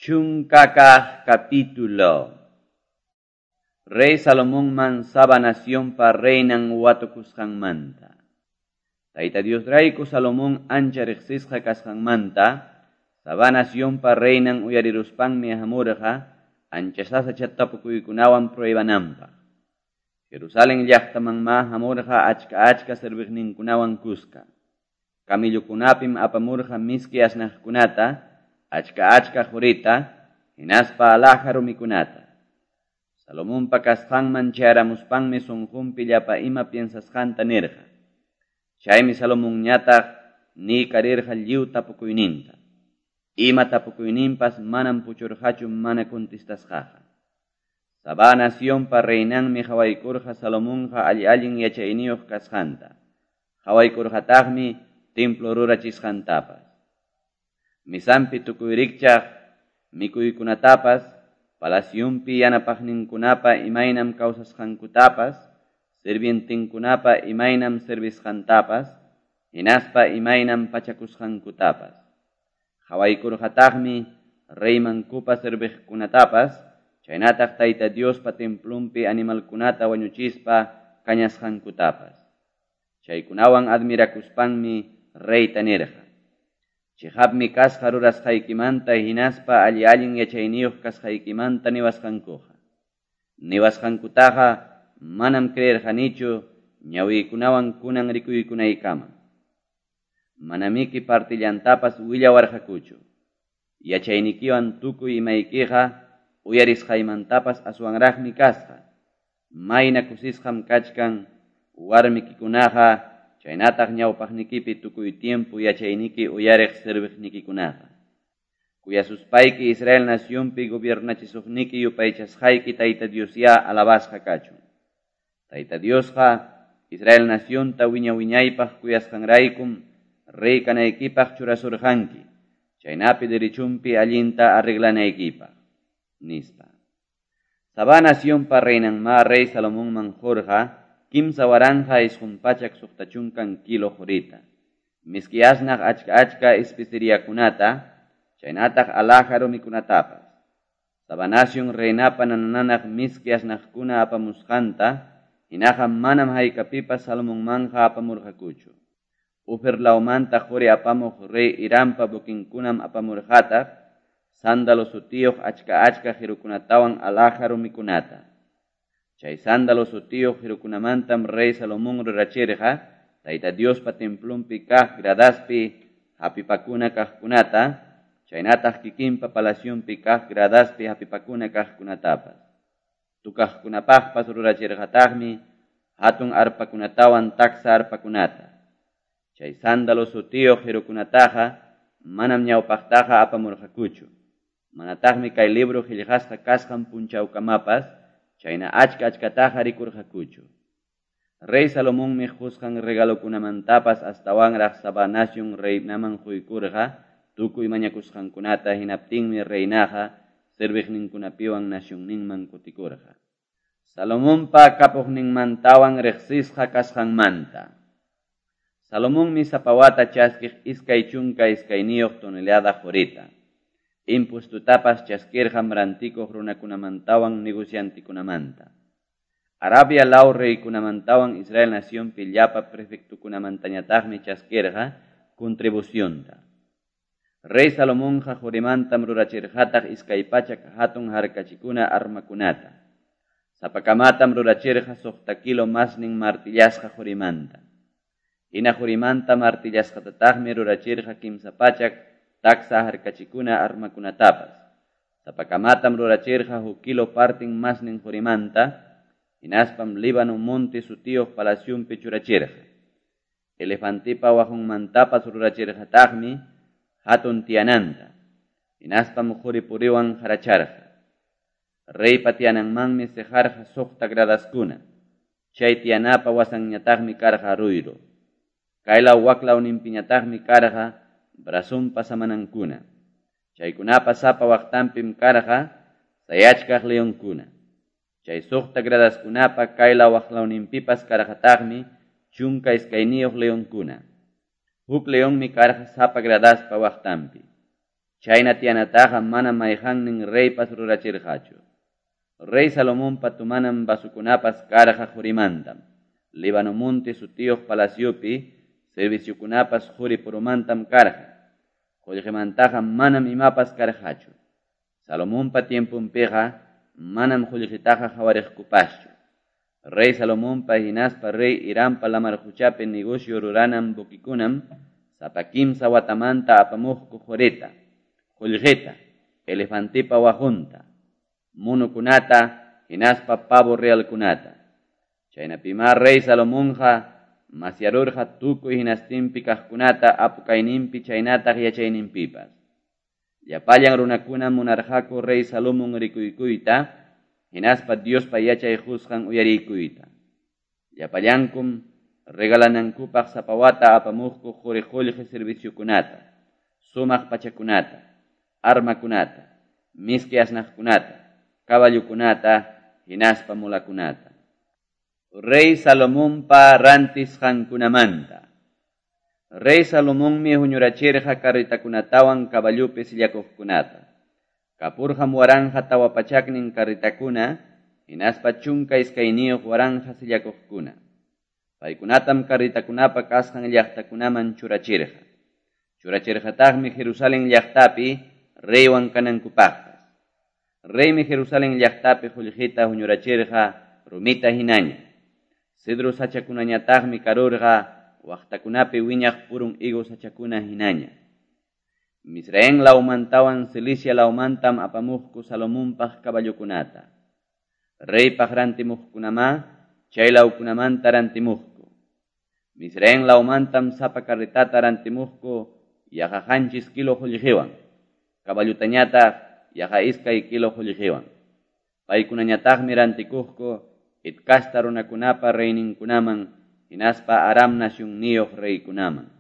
Chunkakaq capítulo. Rey Salomonman Saba nacionpa reinan watukusqanmanta. Tayta Diosrayku Salomón ancha riqsisqa kasqanmanta, Saba nacionpa reinan uyariruspanmi hamurqa ancha sasacha tapukuykunawan pruebananpaq. Jerusalén llaqtamanma hamurqa achka achka serviqninkunawan kuska. Camillokunapim apamurqa miski asnaqkunata, achka achka qurita, hinaspa alhaja rumikunata. Salomonpa kasqanman chayaramuspanmi sunqunpi llapa ima piensasqanta nirqa. Chaymi Salomonñataq niykarirqa lliw tapukuyninta. Ima tapukuyninpas manam puchurqachu mana contestasqaqa. Sabá nacionpa reinanmi qhawaykurqa Salomonqa alli-allin yachayniyuq kasqanta. Qhawaykurqataqmi templo rurachisqantapas. Misanpi tukuy rikchaq mikuykunatapas, palaciunpi yanapaqninkunapa imaynam kawsasqankutapas, sirvientenkunapa imaynam servisqantapas, hinaspa imaynam pachakusqankutapas. Qhawaykurqataqmi reymankupa serviqkunatapas, chaynataq Tayta Diospa templonpi animalkunata wañuchispa kañasqankutapas. Chaykunawan admirakuspanmi reyta nirqa: Chiqapmi kasqa rurasqaykimanta hinaspa alli-allin yachayniyuq kasqaykimanta niwasqankuqa. Niwasqankutaqa manam creerqanichu ñawiykunawan kunan rikuykunaykama. Manamiki partillantapas willawarqakuchu. Yachaynikiwan tukuy imaykiqa uyarisqaymantapas aswanraqmi kasqa. Mayna kusisqam kachkan warmikikunaqa chaynataq ñawpaqnikipi tukuy tiempo yachayniki uyariq serviqnikikunaqa. Kuyasuspayki Israel nacionpi gobiernachisuqniki yupaychasqayki Tayta Diosyá alabasqa kachun. Tayta Diosqa Israel nacionta wiña-wiñaypaq kuyasqanraykum rey kanaykipaq churasurqanki, chaynapi derechunpi allinta arreglanaykipaq, nispa. Sabá nacionpa reinanma rey Salomonman qurqa 3,960 kilo qurita, miski asnaq achka achka especeriakunata, chaynataq alhaja rumikunatapas. Sabá nación reinapa nananaq miski asnaqkuna apamusqanta, hinaqa manam haykapipas Salomonmanja apamurqakuchu. Ofir lawmanta quri apamuq rey Hirampa buquinkunam apamurqataq, sándalo sutiyuq achka achka qirukunatawan alhaja rumikunata. Chay sándalo sutiyuq qirukunamantam rey Salomón rurachirqa Tayta Diospa templonpi kaq gradaspi hapipakuna kaqkunata, chaynataq kikinpa palacionpi kaq gradaspi hapipakuna kaqkunatapas. Tukaqkunapaqpas rurachirqataqmi hatun arpakunatawan taksa arpakunata. Chay sándalo sutiyuq qirukunataqa manam ñawpaqtaqa apamurqakuchu. Manataqmi kay libro qillqasqa kasqan punchawkamapas chayna achka achkataqa rikurqakuchu. Rey Salomonmi qusqan regalokunamantapas astawanraq Sabá nación reinaman quykurqa tukuy mañakusqankunata, hinaptinmi reinaqa serviqninkunapiwan nacionninman kutikurqa. Salomonpa kapuqninmantawan riqsisqa kasqanmanta. Salomonmi sapa wata chaskiq 22 tonelada qurita. Impustutapas chaskirqam rantikuq runakunamantawan negociantikunamanta. Arabia law reykunamantawan Israel nacionpi llapa prefectukunamantañataqmi chaskirqa contribucionta. Rey Salomonqa qurimantam rurachirqataq 200 hatun harkachikuna armakunata. Sapakamatam rurachirqa 6 kilo masnin martillasqa qurimanta. Hina qurimanta martillasqatataqmi rurachirqa 300 taksa harkachikuna armakunatapas. Sapakamatam rurachirqa 1 kilo partin masnin qurimanta, hinaspam Líbano monte sutiyuq palacionpi churachirqa. Elefantipa waqunmantapas rurachirqataqmi hatun tiyananta, hinaspam quri puriwan haracharqa. Reypa tiyananmanmi siqarqa 6 gradaskuna. Chay tiyanapa wasanñataqmi karqa ruyru. Kaylaw waklawninpiñataqmi karqa brazonpa samanankuna. Chaykunapa sapa waqtanpim karqa sayachkaq leonkuna. Chay 6 gradaskunapa kaylaw waklawninpipas karqataqmi 12 leonkuna. Huk leonmi karqa sapa gradaspa waqtanpi. Chayna tiyanataqa manam mayqannin reypas rurachirqachu. Rey Salomonpa tomanan vasokunapas karqa qorimantam, Libano Monte sutiyoq palaciopi serviciokunapas qori-puromantam karqa, qollqemantaqa manam imapas karqachu. Salomonpa tiemponpiqa manam qollqetaqa qawariqkupaschu. Rey Salomonpa hinaspa rey Hirampa lamar qochapi negocio ruranan buquekunam sapa kimsa watamanta apamuqku qorita, qollqeta, elefantepa waqunta, monokunata hinaspa pavo realkunata. Chaynapimá rey Salomonqa masyarurqa tukuy hinastinpi kaqkunata apu kayninpi chaynataq yachayninpipas. Llapallan runakunam munarqaku rey Salomón rikuykuyta, hinaspa Diospa yachay qusqan uyariykuyta. Llapallankum regalanankupaq sapa wata apamuqku qori qollqe serviciokunata, sumaq pachakunata, armakunata, miski asnaqkunata, caballokunata, hinaspa mulakunata. Rey Salomonpa rantisqankunamanta. Rey Salomonmi huñurachirqa carretakunatawan caballopi sillakuqkunata. Kapurqam 1400 carretakuna, hinaspa 12,000 sillakuqkuna. Paykunatam carretakunapa kasqan llaqtakunaman churachirqa. Churachirqataqmi Jerusalén llaqtapi reywan kanankupaqpas. Reymi Jerusalén llaqtapi qullqita huñurachirqa rumita hinaña. Cedro sachakunañataqmi karurqa waqtakunapi wiñaq purun higo sachakuna hinaña. Misraín lawmantawan Cilicia lawmantam apamuqku Salomonpaq caballokunata. Reypaq rantimuqkunamá chay lawkunamanta rantimuqku. Misraín lawmantam sapa carretata rantimuqku yaqa 7 kilo qullqiwan, caballutañataq yaqa 2 kilo qullqiwan. Paykunañataqmi rantikuqku Het casta runakunapa reyninkunaman hinaspa Aram nacionniyuq reykunaman.